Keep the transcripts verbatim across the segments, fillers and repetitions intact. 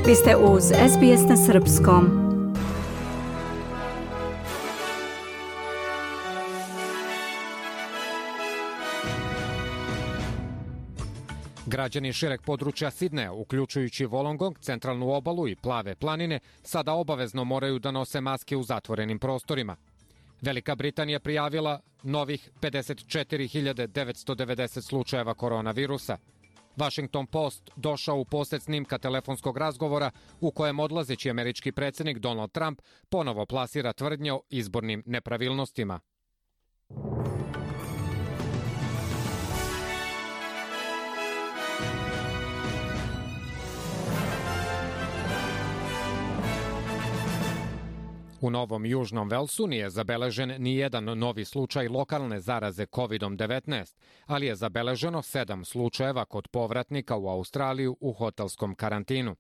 Vi ste uz S B S na srpskom. Građani šireg područja Sidneja, uključujući Wollongong, centralnu obalu i Plave planine, sada obavezno moraju da nose maske u zatvorenim prostorima. Velika Britanija prijavila novih pedeset četiri hiljade devetsto devedeset slučajeva koronavirusa. Washington Post došao u posed snimka telefonskog razgovora u kojem odlazeći američki predsjednik Donald Trump ponovo plasira tvrdnje o izbornim nepravilnostima. U Novom Južnom Velsu nije zabeležen ni jedan novi slučaj lokalne zaraze kovid devetnaest, ali je zabeleženo sedam slučajeva kod povratnika u Australiju u hotelskom karantinu.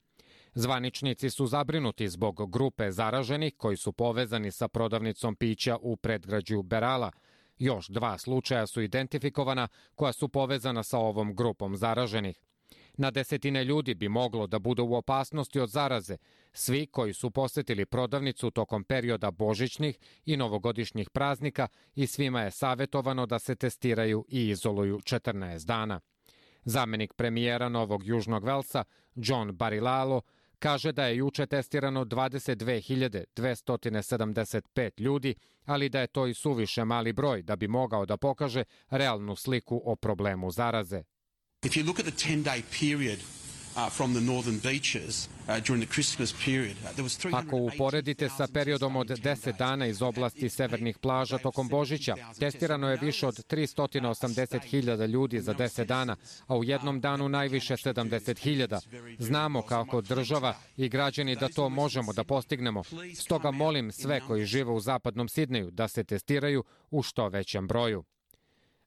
Zvaničnici su zabrinuti zbog grupe zaraženih koji su povezani sa prodavnicom pića u predgrađu Berala. Još dva slučaja su identifikovana koja su povezana sa ovom grupom zaraženih. Na desetine ljudi bi moglo da bude u opasnosti od zaraze, svi koji su posetili prodavnicu tokom perioda božićnih i novogodišnjih praznika i svima je savjetovano da se testiraju i izoluju četrnaest dana. Zamenik premijera Novog Južnog Velsa, John Barilalo, kaže da je juče testirano dvadeset dve hiljade dvesta sedamdeset pet ljudi, ali da je to i suviše mali broj da bi mogao da pokaže realnu sliku o problemu zaraze. If you look at the ten-day period uh, from the northern beaches uh, during the Christmas period, uh, there was three hundred eighty thousand. Ako uporedite sa periodom od deset dana iz oblasti severnih plaža tokom Božića, testirano je više od tristo osamdeset hiljada ljudi za deset dana, a u jednom danu najviše sedamdeset hiljada. Znamo kako država i građani da to možemo da postignemo. Stoga molim sve koji žive u zapadnom Sidneju da se testiraju u što većem broju.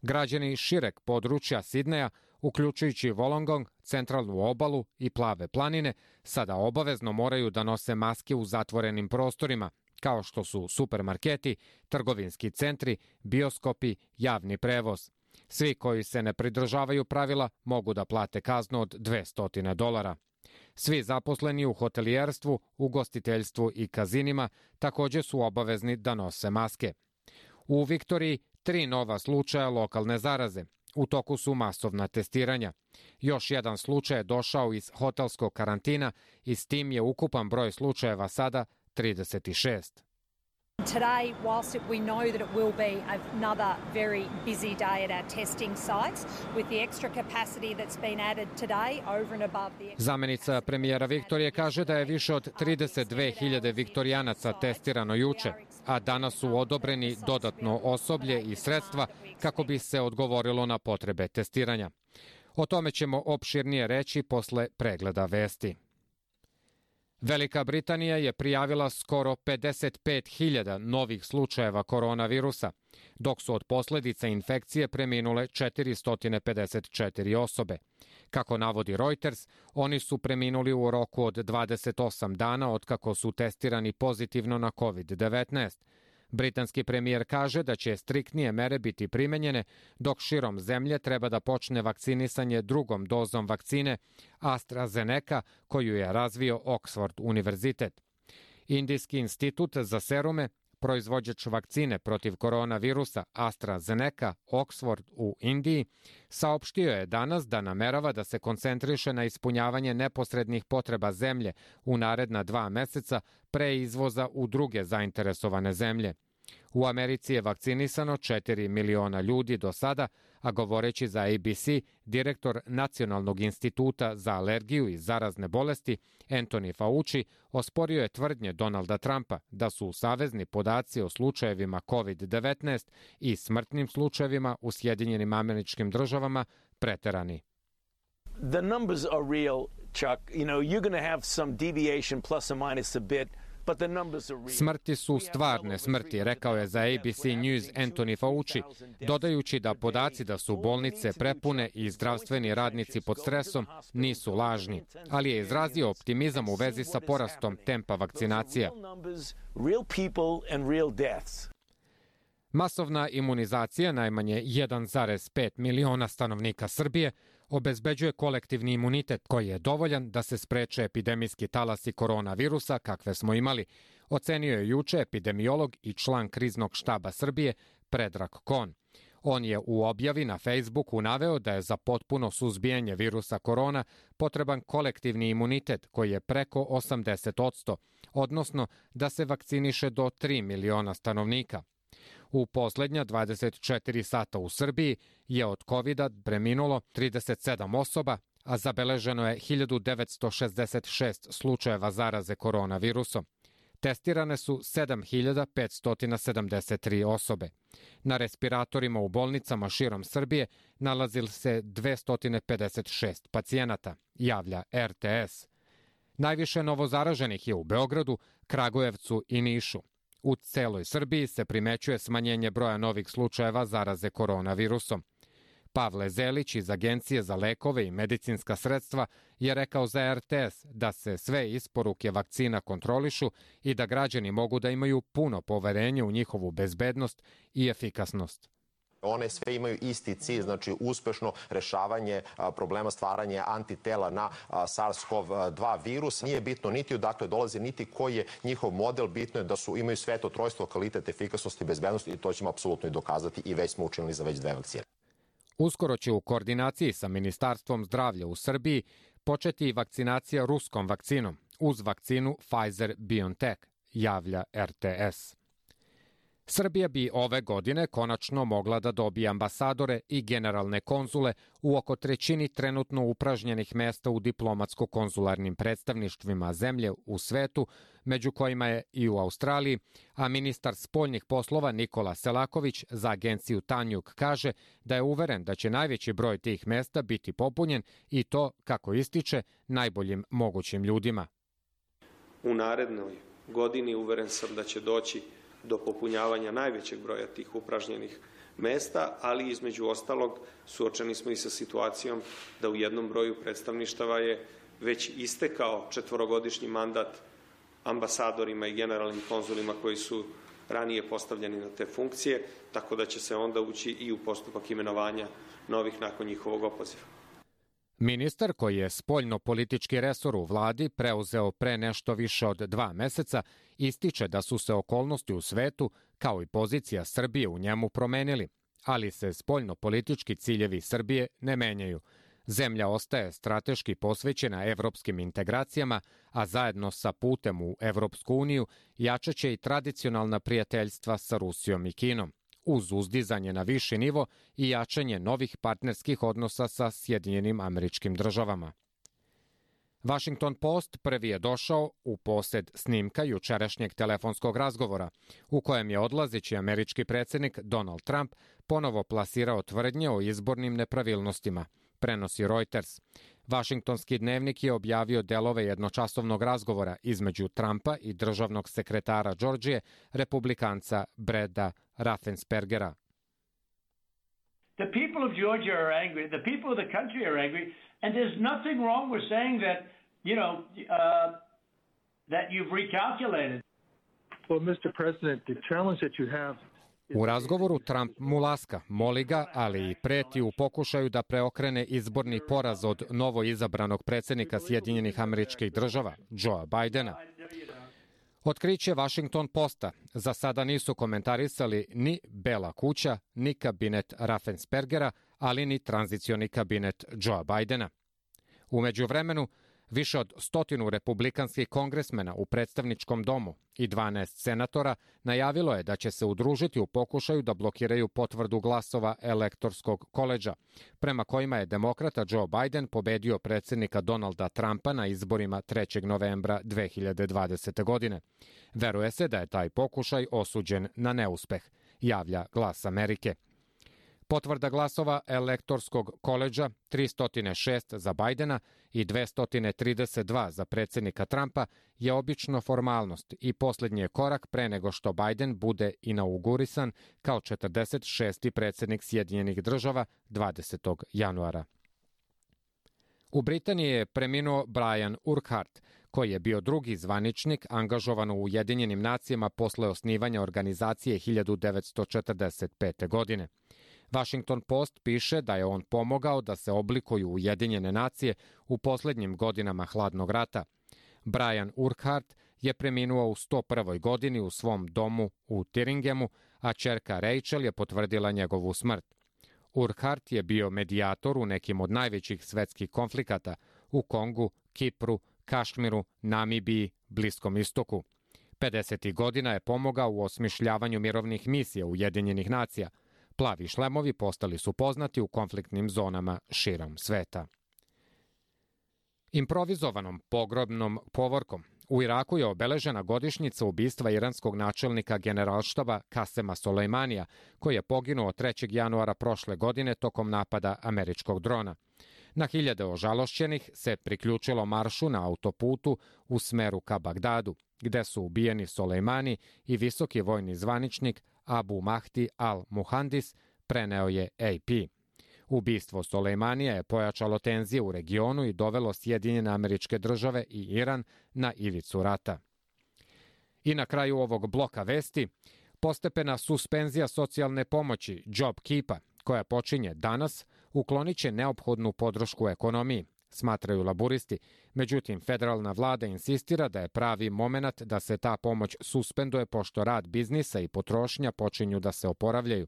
Građani šireg područja Sidneja, uključujući Wollongong, centralnu obalu i Plave planine, sada obavezno moraju da nose maske u zatvorenim prostorima, kao što su supermarketi, trgovinski centri, bioskopi, javni prevoz. Svi koji se ne pridržavaju pravila mogu da plate kaznu od dvesta dolara. Svi zaposleni u hotelijerstvu, ugostiteljstvu i kazinima također su obavezni da nose maske. U Viktoriji tri nova slučaja lokalne zaraze. U toku su masovna testiranja. Još jedan slučaj je došao iz hotelskog karantina i s tim je ukupan broj slučajeva sada trideset šest. Today, whilst it, we know that it will be another very busy day at our testing sites, with the extra capacity that's been added today over and above the... Zamenica premijera Viktorije kaže da je više od trideset dve hiljade viktorijanaca testirano juče, a danas su odobreni dodatno osoblje i sredstva kako bi se odgovorilo na potrebe testiranja. O tome ćemo opširnije reći posle pregleda vesti. Velika Britanija je prijavila skoro pedeset pet hiljada novih slučajeva koronavirusa, dok su od posljedica infekcije preminule četiristo pedeset četiri osobe. Kako navodi Reuters, oni su preminuli u roku od dvadeset osam dana otkako su testirani pozitivno na kovid devetnaest. Britanski premijer kaže da će striktnije mere biti primenjene dok širom zemlje treba da počne vakcinisanje drugom dozom vakcine AstraZeneca koju je razvio Oxford univerzitet. Indijski institut za serume, proizvođač vakcine protiv koronavirusa AstraZeneca Oxford u Indiji, saopštio je danas da namerava da se koncentriše na ispunjavanje neposrednih potreba zemlje u naredna dva meseca pre izvoza u druge zainteresovane zemlje. U Americi je vakcinisano četiri miliona ljudi do sada, a govoreći za A B C, direktor Nacionalnog instituta za alergiju i zarazne bolesti Anthony Fauci osporio je tvrdnje Donalda Trumpa da su savezni podaci o slučajevima kovid devetnaest i smrtnim slučajevima u Sjedinjenim Američkim Državama preterani. The numbers are real, Chuck. You know, you're going to have some deviation plus or minus a bit. Smrti su stvarne smrti, rekao je za A B C News Anthony Fauci, dodajući da podaci da su bolnice prepune i zdravstveni radnici pod stresom nisu lažni, ali je izrazio optimizam u vezi sa porastom tempa vakcinacija. Masovna imunizacija najmanje jedan zarez pet miliona stanovnika Srbije obezbeđuje kolektivni imunitet koji je dovoljan da se spreče epidemijski talasi koronavirusa kakve smo imali, ocenio je juče epidemiolog i član kriznog štaba Srbije Predrag Kon. On je u objavi na Facebooku naveo da je za potpuno suzbijanje virusa korona potreban kolektivni imunitet koji je preko osamdeset posto, odnosno da se vakciniše do tri miliona stanovnika. U poslednja dvadeset četiri sata u Srbiji je od kovida preminulo trideset sedam osoba, a zabeleženo je hiljadu devetsto šezdeset šest slučajeva zaraze koronavirusom. Testirane su sedam hiljada petsto sedamdeset tri osobe. Na respiratorima u bolnicama širom Srbije nalazili se dvesta pedeset šest pacijenata, javlja er te es. Najviše novozaraženih je u Beogradu, Kragujevcu i Nišu. U celoj Srbiji se primećuje smanjenje broja novih slučajeva zaraze koronavirusom. Pavle Zelić iz Agencije za lekove i medicinska sredstva je rekao za er te es da se sve isporuke vakcina kontrolišu i da građani mogu da imaju puno poverenje u njihovu bezbednost i efikasnost. One sve imaju isti cilj, znači uspešno rešavanje problema stvaranja antitela na SARS-CoV dva virus. Nije bitno niti odakle dolaze, niti koji je njihov model, bitno je da su imaju sve to trojstvo, kvalitet, efikasnost i bezbednost i to ćemo apsolutno i dokazati i već smo učinili za već dve vakcine. Uskoro će u koordinaciji sa Ministarstvom zdravlja u Srbiji početi vakcinacija ruskom vakcinom uz vakcinu Pfizer-BioNTech, javlja er te es. Srbija bi ove godine konačno mogla da dobije ambasadore i generalne konzule u oko trećini trenutno upražnjenih mesta u diplomatsko-konzularnim predstavništvima zemlje u svetu, među kojima je i u Australiji, a ministar spoljnih poslova Nikola Selaković za agenciju Tanjug kaže da je uveren da će najveći broj tih mesta biti popunjen i to, kako ističe, najboljim mogućim ljudima. U narednoj godini uveren sam da će doći do popunjavanja najvećeg broja tih upražnjenih mesta, ali između ostalog suočeni smo i sa situacijom da u jednom broju predstavništava je već istekao četvorogodišnji mandat ambasadorima i generalnim konzulima koji su ranije postavljeni na te funkcije, tako da će se onda ući i u postupak imenovanja novih nakon njihovog opoziva. Ministar, koji je spoljno-politički resor u vladi preuzeo pre nešto više od dva meseca, ističe da su se okolnosti u svetu, kao i pozicija Srbije u njemu promenili, ali se spoljno-politički ciljevi Srbije ne menjaju. Zemlja ostaje strateški posvećena evropskim integracijama, a zajedno sa putem u Evropsku uniju jačaće i tradicionalna prijateljstva sa Rusijom i Kinom, uz uzdizanje na viši nivo i jačanje novih partnerskih odnosa sa Sjedinjenim Američkim Državama. Washington Post prvi je došao u posed snimka jučerašnjeg telefonskog razgovora, u kojem je odlazeći američki predsjednik Donald Trump ponovo plasirao tvrdnje o izbornim nepravilnostima, prenosi Reuters. Vašingtonski dnevnik je objavio delove jednočasovnog razgovora između Trumpa i državnog sekretara Džordžije, republikanca Breda Raffenspergera. The people of Georgia are angry. The people of the country are angry, and there's nothing wrong with saying that, you know, uh, that you've recalculated. Well, Mister President, the challenge that you have. U razgovoru Trump mu laska, moli ga, ali i preti u pokušaju da preokrene izborni poraz od novo izabranog predsjednika Sjedinjenih Američkih Država, Joea Bidena. Otkriće Washington Posta za sada nisu komentarisali ni Bela kuća, ni kabinet Raffenspergera, ali ni tranzicioni kabinet Joea Bidena. U međuvremenu, više od stotinu republikanskih kongresmena u predstavničkom domu i dvanaest senatora najavilo je da će se udružiti u pokušaju da blokiraju potvrdu glasova elektorskog koledža, prema kojima je demokrata Joe Biden pobedio predsjednika Donalda Trumpa na izborima trećeg novembra dve hiljade dvadesete. godine. Veruje se da je taj pokušaj osuđen na neuspeh, javlja Glas Amerike. Potvrda glasova elektorskog koledža tristo šest za Bidena i dvesta trideset dva za predsjednika Trumpa je obično formalnost i posljednji je korak pre nego što Biden bude inaugurisan kao četrdeset šesti predsjednik Sjedinjenih Država dvadesetog januara. U Britaniji je preminuo Brian Urquhart, koji je bio drugi zvaničnik angažovan u Ujedinjenim nacijama posle osnivanja organizacije hiljadu devetsto četrdeset pete. godine. Washington Post piše da je on pomogao da se oblikuju Ujedinjene nacije u poslednjim godinama hladnog rata. Brian Urquhart je preminuo u sto prvoj godini u svom domu u Tiringemu, a ćerka Rachel je potvrdila njegovu smrt. Urquhart je bio medijator u nekim od najvećih svetskih konflikata u Kongu, Kipru, Kašmiru, Namibiji, Bliskom istoku. pedesetih godina je pomogao u osmišljavanju mirovnih misija Ujedinjenih nacija. Plavi šlemovi postali su poznati u konfliktnim zonama širom sveta. Improvizovanom pogrobnom povorkom u Iraku je obeležena godišnjica ubistva iranskog načelnika generalštaba Kasema Solejmanija, koji je poginuo trećeg januara prošle godine tokom napada američkog drona. Na hiljade ožalošćenih se priključilo maršu na autoputu u smeru ka Bagdadu, gde su ubijeni Solejmani i visoki vojni zvaničnik Abu Mahdi al-Muhandis, preneo je A P. Ubistvo Solejmanija je pojačalo tenzije u regionu i dovelo Sjedinjene Američke Države i Iran na ivicu rata. I na kraju ovog bloka vesti, postepena suspenzija socijalne pomoći JobKeepa, koja počinje danas, uklonit će neophodnu podršku ekonomiji, smatraju laburisti. Međutim, federalna vlada insistira da je pravi moment da se ta pomoć suspenduje pošto rad biznisa i potrošnja počinju da se oporavljaju.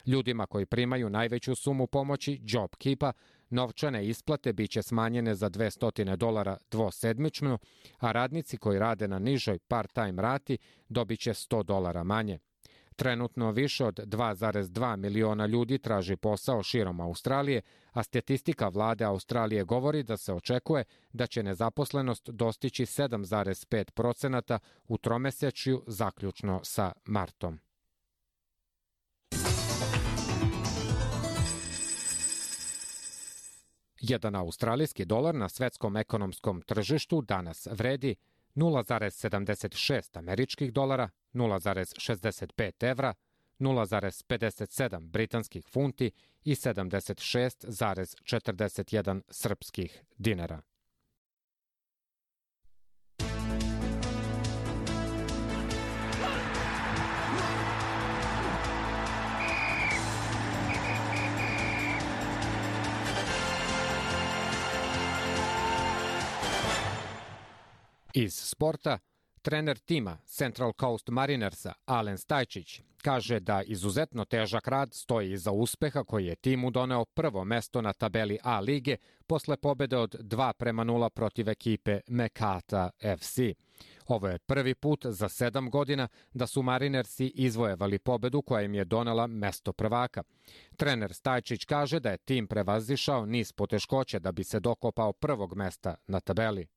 Ljudima koji primaju najveću sumu pomoći, JobKeepa, novčane isplate biće smanjene za dvesta dolara dvosedmično, a radnici koji rade na nižoj part-time rati dobit će sto dolara manje. Trenutno više od dva zarez dva miliona ljudi traži posao širom Australije, a statistika vlade Australije govori da se očekuje da će nezaposlenost dostići sedam zarez pet procenata u tromesečju zaključno sa martom. Jedan australijski dolar na svetskom ekonomskom tržištu danas vredi nula zarez sedamdeset šest američkih dolara, nula zarez šezdeset pet evra, nula zarez pedeset sedam britanskih funti i sedamdeset šest zarez četrdeset jedan srpskih dinara. Iz sporta, trener tima Central Coast Marinersa Alen Stajčić kaže da izuzetno težak rad stoji iza uspeha koji je timu doneo prvo mesto na tabeli A lige posle pobede od dva prema nula protiv ekipe Mekata F C. Ovo je prvi put za sedam godina da su Marinersi izvojevali pobedu koja im je donela mesto prvaka. Trener Stajčić kaže da je tim prevazišao niz poteškoća da bi se dokopao prvog mesta na tabeli.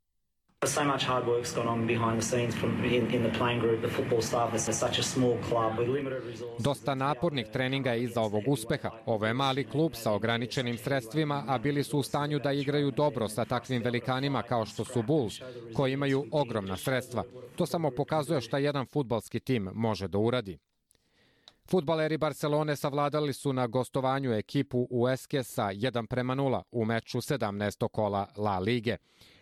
So much hard work's gone on behind the scenes from in, in the playing group, the football staff. It's such a small club with limited resources. Dosta napornih treninga je iza ovog uspeha. Ovo je mali klub sa ograničenim sredstvima, a bili su u stanju da igraju dobro sa takvim velikanima kao što su Bulls, koji imaju ogromna sredstva. To samo pokazuje šta jedan fudbalski tim može da uradi. Fudbaleri Barcelone savladali su na gostovanju ekipu U S K sa jedan prema nula u meču sedamnaestog kola La Lige.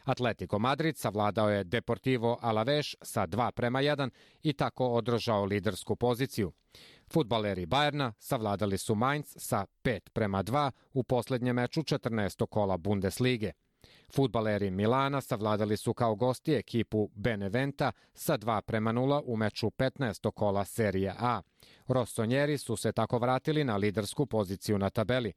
Atletico Madrid savladao je Deportivo Alavés sa dva prema jedan i tako održao lidersku poziciju. Fudbaleri Bayerna savladali su Mainz sa pet prema dva u poslednjem meču četrnaestog kola Bundeslige. Fudbaleri Milana savladali su kao gosti ekipu Beneventa sa dva prema nula u meču petnaestog kola Serije A. Rossonjeri su se tako vratili na lidersku poziciju na tabeli.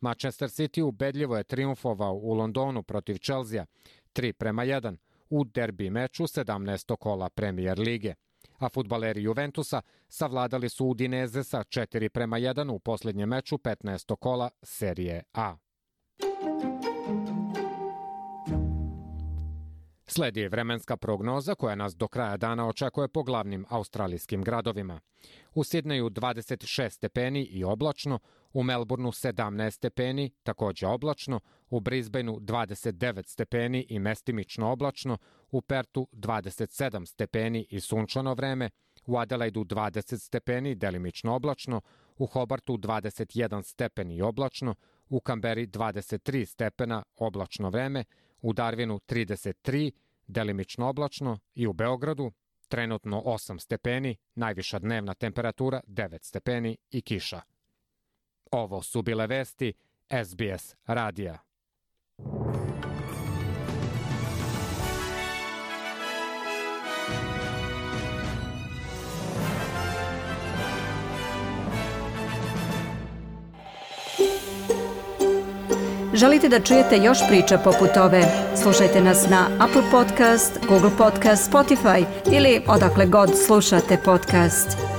Manchester City ubedljivo je trijumfovao u Londonu protiv Chelsea tri prema jedan u derbi meču sedamnaestog kola Premier lige. A fudbaleri Juventusa savladali su Udineze sa četiri prema jedan u poslednjem meču petnaestog kola Serije A. Sledi vremenska prognoza koja nas do kraja dana očekuje po glavnim australijskim gradovima. U Sidneju dvadeset šest stepeni i oblačno, u Melbourneu sedamnaest stepeni, takođe oblačno, u Brisbaneu dvadeset devet stepeni i mestimično oblačno, u Pertu dvadeset sedam stepeni i sunčano vreme, u Adelaidu dvadeset stepeni, delimično oblačno, u Hobartu dvadeset jedan stepen i oblačno, u Kamberi dvadeset tri stepena, oblačno vreme, u Darwinu trideset tri, delimično oblačno i u Beogradu trenutno osam stepeni, najviša dnevna temperatura devet stepeni i kiša. Ovo su bile vesti S B S radija. Želite da čujete još priča poput ove? Slušajte nas na Apple Podcast, Google Podcast, Spotify ili odakle god slušate podcast.